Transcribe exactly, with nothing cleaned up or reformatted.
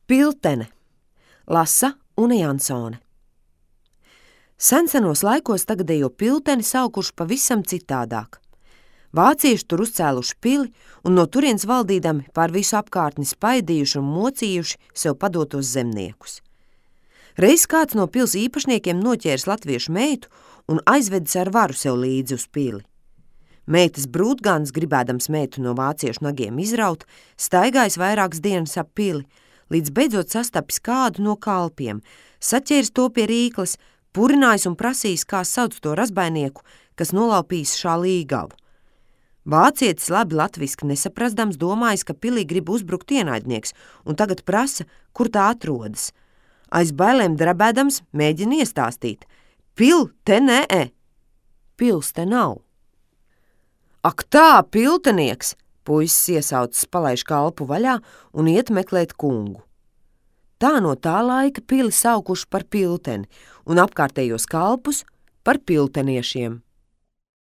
Piltene. Lasa Une Jansone. Sensenos laikos tagadējo Pilteni saukuši pavisam citādāk. Vācieši tur uzcēluši pili un no turienes valdīdami pār visu apkārtni spaidījuši un mocījuši sev padotos zemniekus. Reiz kāds no pils īpašniekiem noķēris latviešu meitu un aizvedis ar varu sev līdzi uz pili. Meitas brūtgāns, gribēdams meitu no vāciešu nagiem izraut, staigājis vairākas dienas ap pili, līdz beidzot sastapis kādu no kalpiem, saķēris to pie rīkles, purinājis un prasījis, kā sauc to razbainieku, kas nolaupījis šā līgavu. Vācietis labi latviski nesaprastams domājis, ka pilī grib uzbrukt ienaidnieks, un tagad prasa, kur tā atrodas. Aiz bailēm drebēdams mēģina iestāstīt. Pil te nē, pils te nav. Ak tā, piltenieks! Puisis iesaucis palaiž kalpu vaļā un iet meklēt kungu. Tā no tā laika pili saukuši par Pilteni un apkārtējos kalpus par pilteniešiem.